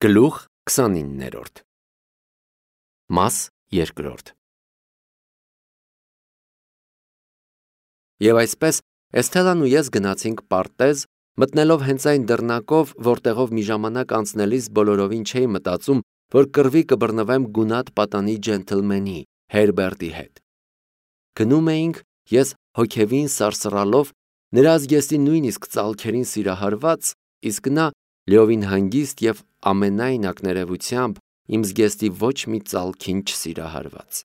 Գլուխ 29-րդ Մաս 2 Եվ այսպես Էսթելան ու ես գնացինք պարտեզ, մտնելով հենց այն դռնակով, որտեղով մի ժամանակ անցնելիս բոլորովին չէի մտածում, որ կռվի կբռնվեմ գունատ պատանի ջենթլմենի Հերբերտի հետ։ Գնում էինք, ես հոգևին սարսռալով, նրա զգեստի նույնիսկ ծալքերին սիրահարված, իսկ նա լիովին հանգիստ և ամենայն ակներևությամբ իմ զգեստի ոչ մի ծալքին չսիրահարված։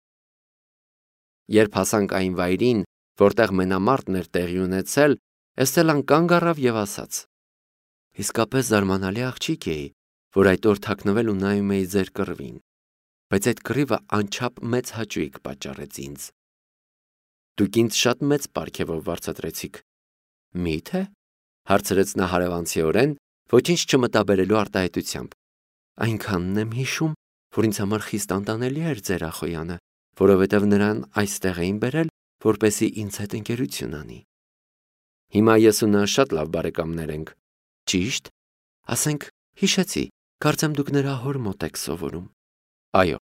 Երբ հասանք այն վայրին, որտեղ մենամարտն էր տեղի ունեցել, Էսթելան կանգ առավ և ասաց. «Իսկապես զարմանալի աղջիկ էի, որ այդ օր թաքնվել ու նայում էի ձեր կռվին, բայց այդ կռիվը անչափ մեծ հաճույք պատճառեց ինձ։ Դուք ինձ շատ մեծ պարգևով վարձատրեցիք»։ Մի՞թե, հարցրեց նա հարևանցիորեն, ոչինչ չմտաբերելու արտահայտությամբ։ Այնքանն եմ հիշում, որ ինձ համար խիստ անտանելի էր ձեր ախոյանը, որովհետև նրան այստեղ էին բերել, որպեսզի ինձ հետ ընկերություն անի։ Հիմա ես ու նա շատ լավ բարեկամներ ենք։ Ճիշտ։ Ասենք, հիշեցի, կարծեմ դուք նրա հոր մոտ եք սովորում։ Այո։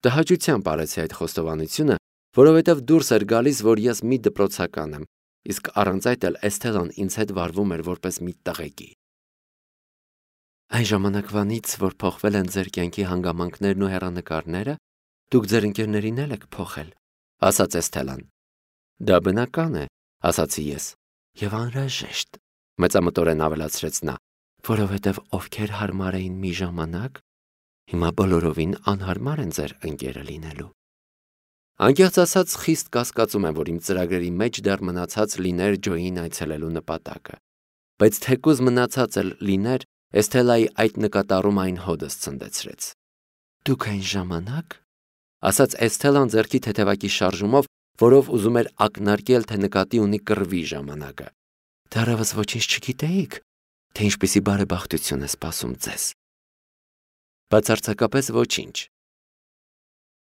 Տհաճությամբ արեցի այդ խոստովանությունը, որովհետև դուրս էր գալիս, որ ես մի դպրոցական եմ, իսկ առանց այդ էլ Էսթելան ինձ հետ վարվում էր որպես մի տղեկի։ Այն ժամանակվանից, որ փոխվել են ձեր կյանքի հանգամանքներն ու հեռանկարները, դուք ձեր ընկերներին էլ եք փոխել, ասաց Էսթելան։ Դա բնական է, ասացի ես, և անհրաժեշտ, մեծամտորեն ավելացրեց նա, որովհետև ովքեր հարմար էին մի ժամանակ, հիմա բոլորովին անհարմար են ձեր ընկերը լինելու։ Անկեղծ ասած, խիստ կասկածում եմ, որ իմ ծրագրերի մեջ դեռ մնացած լիներ Ջոյին այցելելու նպատակը, բայց թեկուզ մնացած էլ լիներ, Էսթելայի այդ նկատառում այն հոդս ցնդեցրեց։ Դուք այն ժամանակ, ասաց Էսթելան ձեռքի թեթևակի շարժումով, որով ուզում էր ակնարկել, թե նկատի ունի կռվի ժամանակը, դեռևս ոչինչ չգիտեիք, թե ինչպիսի բարեբախտություն է սպասում ձեզ։ Բացարձակապես ոչինչ։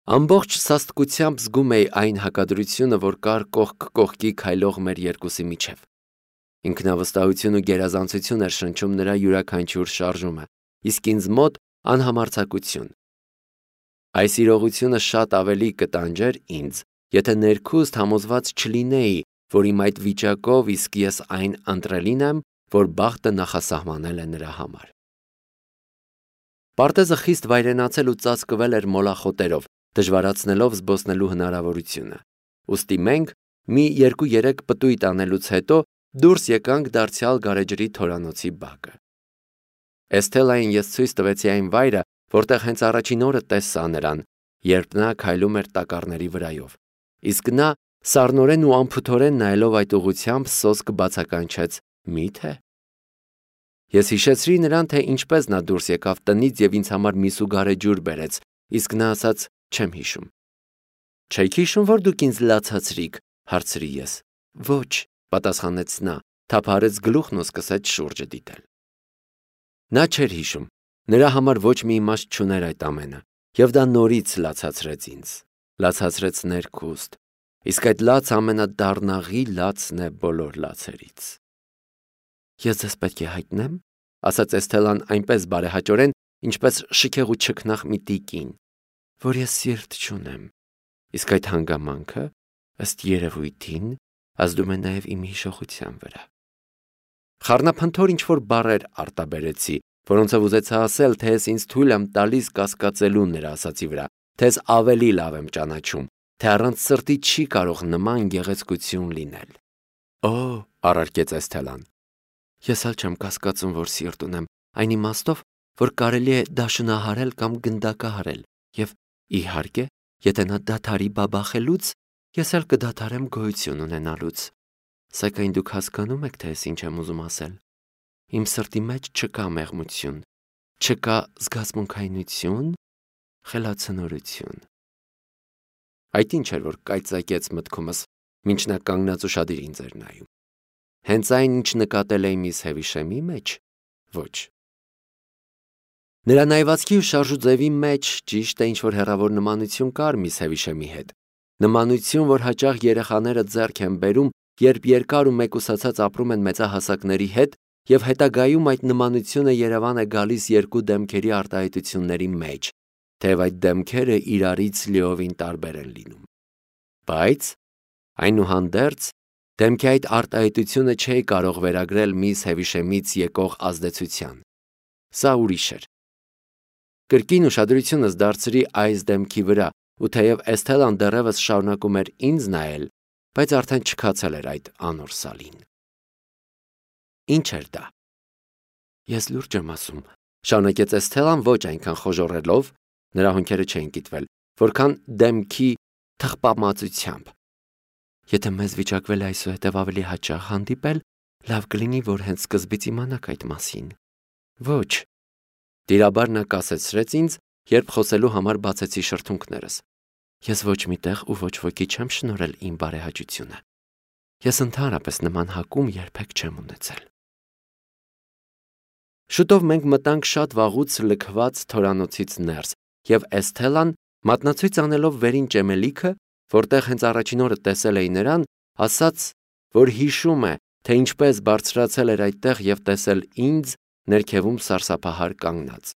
Ամբողջ սաստկությամբ զգում էի այն հակադրությունը, որ կար կողք կողքի քայլող մեր երկուսի միջև։ Ինքնավստահություն ու գերազանցություն էր շնչում նրա յուրաքանչյուր շարժումը, իսկ ինձ մոտ անհամարձակություն։ Այս իրողությունը շատ ավելի կտանջեր ինձ, եթե ներքուստ համոզված չլինեի, որ իմ այդ վիճակով իսկ ես այն ընտրելին եմ, որ բախտը նախասահմանել է նրա համար։ Պարտեզը խիստ վայրենացել ու ծածկվել էր մոլախոտերով, դժվարացնելով զբոսնելու հնարավորությունը։ Ուստի մենք մի 2-3 պտույտ անելուց հետո դուրս եկանք դարձյալ գարեջրի թորանոցի բակը։ Էսթելային ես ցույց տվեցի այն վայրը, որտեղ հենց առաջին օրը տեսա նրան, երբ նա քայլում էր տակառների վրայով, իսկ նա սառնորեն ու անփութորեն նայելով այդ ուղությամբ սոսկ բացականչեց. Մի՞թե։ Ես հիշեցրի նրան, թե ինչպես նա դուրս եկավ տնից և ինձ համար միսու գարեջուր բերեց, իսկ նա ասաց. չեմ հիշում։ Չեք հիշում, որ դուք ինձ լացացրիք, հարցրի ես։ Ոչ, պատասխանեց նա, թափահարեց գլուխն ու սկսեց շուրջը դիտել։ Նա չէր հիշում, նրա համար ոչ մի իմաստ չուներ այդ ամենը, և դա նորից լացացրեց ինձ, լացացրեց ներքուստ, իսկ այդ լացը ամենադառնաղի լացն է բոլոր լացերից։ Ես ձեզ պետք է հայտնեմ, ասաց Էսթելան այնպես բարեհաճորեն, ինչպես շքեղ ու չքնաղ մի տիկին, որ ես սիրտ չունեմ, իսկ այդ հանգամանքը, ըստ երևույթին, ազդում է նաև իմ հիշողության վրա։ Խառնափնթոր ինչ-որ բառեր արտաբերեցի, որոնցով ուզեցա ասել, թե ես ինձ թույլ եմ տալիս կասկածելու նրա ասացի վրա, թե ես ավելի լավ եմ ճանաչում, թե առանց սրտի չի կարող նման գեղեցկություն լինել։ Օ, առարկեց Էսթելան, ես էլ չեմ կասկածում, որ սիրտ ունեմ, այն իմաստով, որ կարելի է դաշնահարել կամ գնդակահարել, և իհարկե, եթե նա դադարի բաբախելուց, ես էլ կդադարեմ գոյություն ունենալուց, սակայն դուք հասկանում եք, թե ես ինչ եմ ուզում ասել։ Իմ սրտի մեջ չկա մեղմություն, չկա զգացմունքայնություն, խելացնորություն։ Այդ ինչ էր, որ կայծակեց մտքումս, մինչ նա կանգնած ուշադիր ինձ էր նայում։ Հենց այն, ինչ նկատել էի միս Հևիշեմի մեջ, ոչ։ Նրա նայվածքի ու շարժու ձևի մեջ ճիշտ է ինչ-որ հեռավոր նմանություն կար միս Հևիշեմի հետ, նմանություն, որ հաճախ երեխաները ձեռք են բերում, երբ երկար ու մեկուսացած ապրում են մեծահասակների հետ եւ հետագայում այդ նմանությունը Երևան է գալիս երկու դեմքերի արտահայտությունների մեջ, թեև այդ դեմքերը իրարից լիովին տարբեր են լինում։ Բայց այնուհանդերձ դեմքի այդ արտահայտությունը չէ կարող վերագրել միս Հևիշեմից եկող ազդեցության։ Սա ուրիշ էր։ Կրկին ուշադրությունս դարձրի այս դեմքի վրա, ու թեև Էսթելան դեռևս շարունակում էր ինձ նայել, բայց արդեն չքացել էր այդ անոր սալին։ Ինչ էր դա։ Ես լուրջ եմ ասում, շարունակեց Էսթելան ոչ այնքան խոժոռելով, նրա հոնքերը չէին կիտվել, որքան դեմքի թխպամածությամբ։ Եթե մեզ վիճակվել է այսուհետև ավելի հաճախ հանդիպել, լավ կլինի, որ հենց սկզբից իմանաք այդ մասին։ Ոչ։ Տիրաբար նա կասեցրեց ինձ, երբ խոսելու համար բացեցի շրթունքներս։ Ես ոչ մի տեղ ու ոչ ոքի չեմ շնորհել իմ բարեհաճությունը։ Ես ընդհանրապես նման հակում երբեք չեմ ունեցել։ Շուտով մենք մտանք շատ վաղուց լքված թորանոցից ներս, եւ Էսթելան, մատնացույց անելով վերին ճեմելիքը, որտեղ հենց առաջին օրը տեսել էի նրան, ասաց, որ հիշում է, թե ինչպես բարձրացել էր այդտեղ եւ տեսել ինձ ներքևում սարսափահար կանգնած։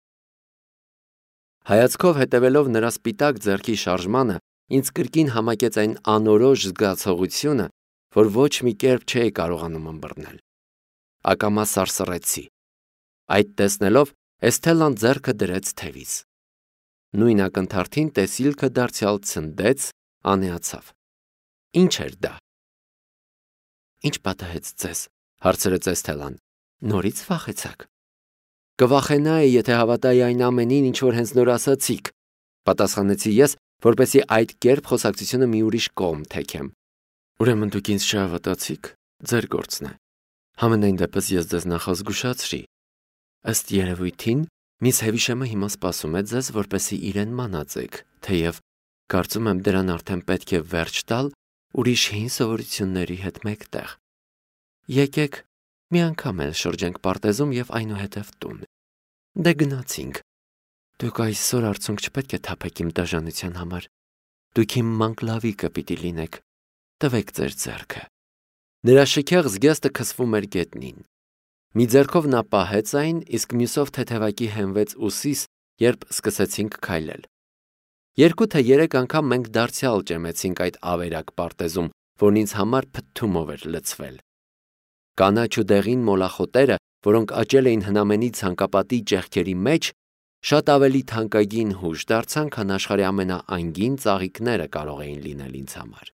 Հայացքով հետևելով նրա սպիտակ ձեռքի շարժմանը, ինձ կրկին համակեց այն անորոշ զգացողությունը, որ ոչ մի կերպ չէի կարողանում ըմբռնել։ Ակամա սարսռեցի։ Այդ տեսնելով Էսթելան ձեռքը դրեց թևից։ Նույն ակնթարթին տեսիլքը դարձյալ ցնդեց, անեացավ։ Ինչ էր դա։ Ինչ պատահեց ձեզ, հարցրեց Էսթելան։ Նորից վախեցաք։ Կվախենայի, եթե հավատայի այն ամենին, ինչ որ հենց նոր ասացիք, պատասխանեցի ես, որպեսզի այդ կերպ խոսակցությունը մի ուրիշ կողմ թեքեմ։ Ուրեմն դուք ինձ չհավատացիք, ձեր գործն է։ Համենայն դեպս ես ձեզ նախազգուշացրի։ Ըստ երևույթին, միս Հևիշեմը հիմա սպասում է ձեզ, որպեսզի իրեն մանածեք, թեև կարծում եմ դրան արդեն պետք է վերջ տալ ուրիշ հին սովորությունների հետ մեկտեղ։ Եկեք մի անգամ էլ շրջենք պարտեզում եւ այնուհետև տուն։ Դե գնացինք։ Դուք այսօր արցունք չպետք է թափեք իմ դաժանության համար։ Դուք իմ մանկլավիկը պիտի լինեք։ Տվեք ձեր ձեռքը։ Նրա շքեղ զգեստը քսվում էր գետնին։ Մի ձեռքով նա պահեց այն, իսկ մյուսով թեթևակի հենվեց ուսիս, երբ սկսեցինք քայլել։ 2 թե 3 անգամ մենք դարձյալ ճեմեցինք այդ ավերակ պարտեզում, որն ինձ համար փթթումով էր լցվել։ Կանաչ ու դեղին մոլախոտերը, որոնք աճել էին հնամենի ցանկապատի ճեղքերի մեջ, շատ ավելի թանկագին հուշ դարձան, քան աշխարհի ամենաանգին ծաղիկները կարող էին լինել ինձ համար։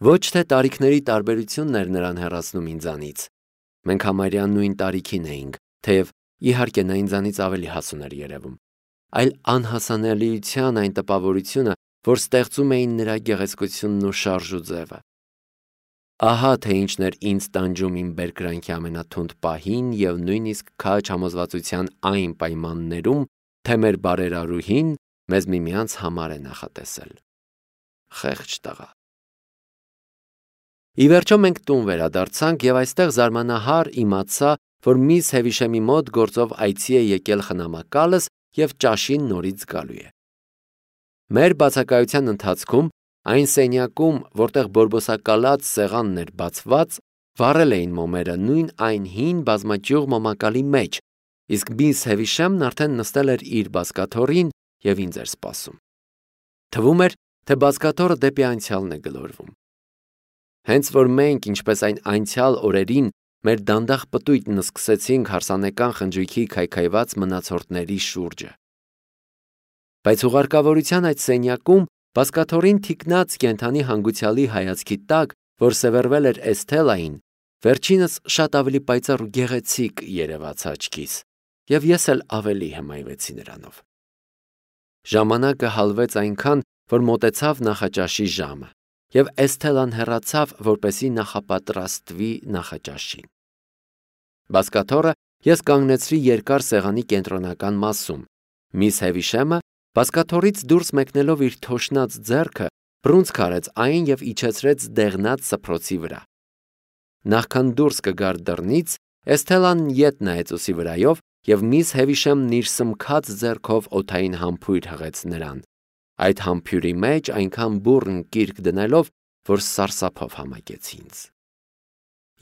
Ոչ թե տարիքների տարբերությունն էր նրան հեռացնում ինձանից։ Մենք համարյա նույն տարիքին էինք, թեև իհարկե նա ինձանից ավելի հասուն էր երևում, այլ անհասանելիության այն տպավորությունը, որ ստեղծում էին նրա գեղեցկությունն ու շարժուձևը։ Ահա թե ինչն էր ինձ տանջում իմ բերկրանքի ամենաթունդ պահին եւ նույնիսկ քաջ համոզվածության այն պայմաններում, թե մեր բարերարուհին մեզ միմյանց համար է նախատեսել։ Խեղճ տղա։ Ի վերջո մենք տուն վերադարձանք եւ այստեղ զարմանահար իմացա, որ միս Հևիշեմի մոտ գործով այցի է եկել խնամակալս եւ ճաշին նորից գալու է։ Մեր բացակայության ընթացքում այն սենյակում, որտեղ բորբոսակալած սեղանն էր բացված, վառել էին մոմերը նույն այն հին բազմաճյուղ մոմակալի մեջ, իսկ միս Հևիշեմն արդեն նստել էր իր բազկաթոռին եւ ինձ էր սպասում։ Թվում էր, թե բազկաթոռը դեպի անցյալն է գլորվում։ Հենց որ մենք, ինչպես այն անցյալ օրերին, մեր դանդաղ պտույտն սկսեցինք հարսանեկան խնջույքի քայքայված մնացորդների շուրջը։ Բայց ուղարկավորության այդ սենյակում բազկաթոռին թիկնած կենդանի հանգուցյալի հայացքի տակ, որ սևեռվել էր Էսթելային, վերջինս շատ ավելի պայծառ ու գեղեցիկ երևաց աչքիս, եւ ես էլ ավելի հմայվեցի նրանով։ Ժամանակը հալվեց այնքան, որ մոտեցավ նախաճաշի ժամը, եւ Էսթելան հեռացավ, որպեսզի նախապատրաստվի նախաճաշին։ Բազկաթոռը ես կանգնեցրի երկար սեղանի կենտրոնական մասում։ Միս Հևիշեմը բազկաթոռից դուրս մեկնելով իր թոշնած ձեռքը բռունցք արեց այն եւ իջեցրեց դեղնած սփռոցի վրա։ Նախքան դուրս կգար դռնից, Էսթելան ետ նայեց ուսի վրայով եւ միս Հևիշեմն իր սմքած ձեռքով օդային համբույր հղեց նրան։ Այդ համբույրի մեջ այնքան բուռն կիրք դնելով, որ սարսափով համակեց ինձ։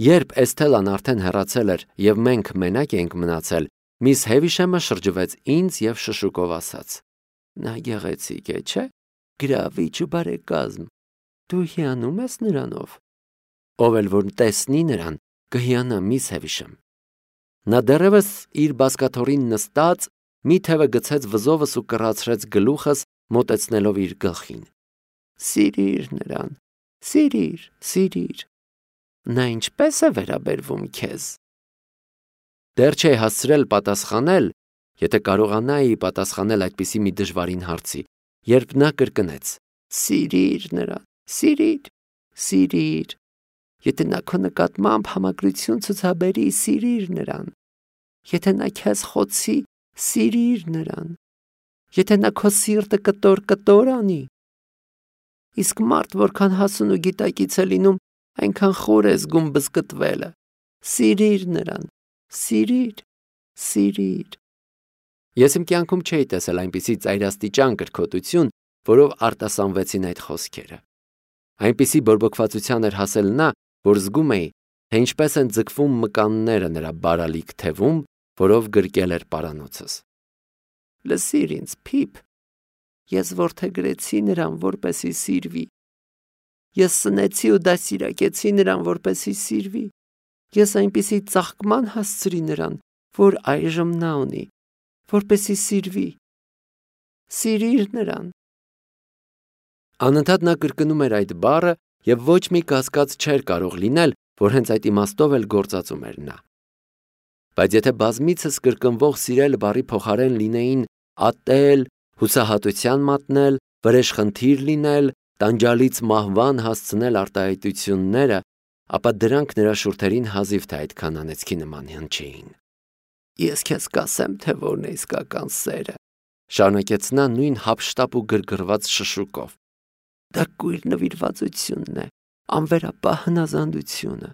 Երբ Էսթելան արդեն հեռացել էր եւ մենք մենակ էինք մնացել, միս Հևիշեմը շրջվեց ինձ եւ շշուկով ասաց. «Նա գեղեցիկ է, չէ՞, գրավիչ ու բարեկազմ, դու հիանում ես նրանով»։ Ով էլ որ տեսնի նրան, կհիանա միս Հևիշեմ։ Նա դեռևս իր բազկաթոռին նստած մի թևը գցեց վզովս ու կռացրեց գլուխս, մոտեցնելով իր գլխին։ Սիրիր նրան, սիրիր։ Նա ինչպես է վերաբերվում քեզ։ Դեռ չէի հասցրել պատասխանել, եթե կարողանայի պատասխանել այդպիսի մի դժվարին հարցի, երբ նա կրկնեց. Սիրիր նրան, սիրիր։ Եթե նա քո նկատմամբ համակրություն ցուցաբերի, սիրիր նրան։ Եթե նա քեզ խոցի, սիրիր նրան։ Եթե նա քո սիրտը կտոր անի։ Իսկ մարդ որքան հասուն ու գիտակից է լինում, այնքան խոր է զգում բզկտվելը։ Սիրիր նրան, սիրիր։ Ես իմ կյանքում չէի տեսել այնպիսի ծայրաստիճան կրքոտություն, որով արտասանվեցին այդ խոսքերը։ Այնպիսի բորբոքվածության էր հասել նա, որ զգում էի, թե ինչպես են ձգվում մկանները նրա բարալիկ թևում, որով գրկել էր պարանոցս։ Լսիր ինձ, Փիփ, ես որդեգրեցի նրան, որպեսի սիրվի։ Ես սնեցի ու դաստիարակեցի նրան, որպեսի սիրվի։ Ես այնպիսի ծաղկման հասցրի նրան, որ այժմ նա ունի, որպեսի սիրվի։ Սիրիր նրան։ Անընդհատ նա կրկնում էր այդ բառը և ոչ մի կասկած չէր կարող լինել, որ հենց այդ իմաստով էլ գործածում էր նա։ Բայց եթե բազմիցս կրկնվող սիրել բառի փոխարեն լինեին ատել, հուսահատության մատնել, վրեժխնդիր լինել, տանջալից մահվան հասցնել արտահայտությունները, ապա դրանք նրա շուրթերին հազիվ թե այդքան անեծքի նման հնչեին։ Ես քեզ կասեմ, թե որն է իսկական սերը, շարունակեց նա նույն հափշտապ ու գրգռված շշուկով։ Դա կույր նվիրվածությունն է, անվերապահ հնազանդությունը,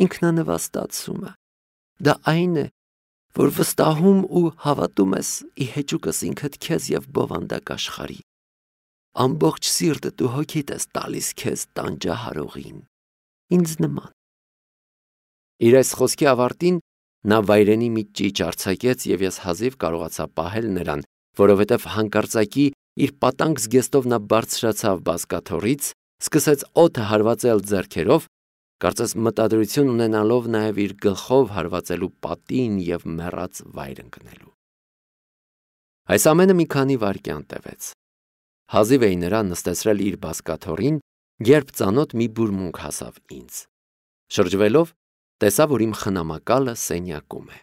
ինքնանվաստացումը։ Դա այն է, որ վստահում ու հավատում ես ի հեճուկս ինքդ քեզ և բովանդակ աշխարհի։ Ամբողջ սիրտդ ու հոգիդ ես տալիս քեզ տանջահարողին, ինձ նման։ Իր այս խոսքի ավարտին նա վայրենի մի ճիչ արձակեց և ես հազիվ կարողացա պահել նրան, որովհետև հանկարծակի իր պատանկ զգեստով նա բարձրացավ բազկաթոռից, սկսեց օդը հարվածել ձեռքերով, կարծես մտադրություն ունենալով նաև իր գլխով հարվածելու պատին և մեռած վայր ընկնելու։ Այս ամենը մի քանի վայրկյան տևեց։ Հազիվ էի նրան նստեցրել իր բազկաթոռին, երբ ծանոթ մի բուրմունք հասավ ինձ։ Շրջվելով, տեսա, որ իմ խնամակալը սենյակում է։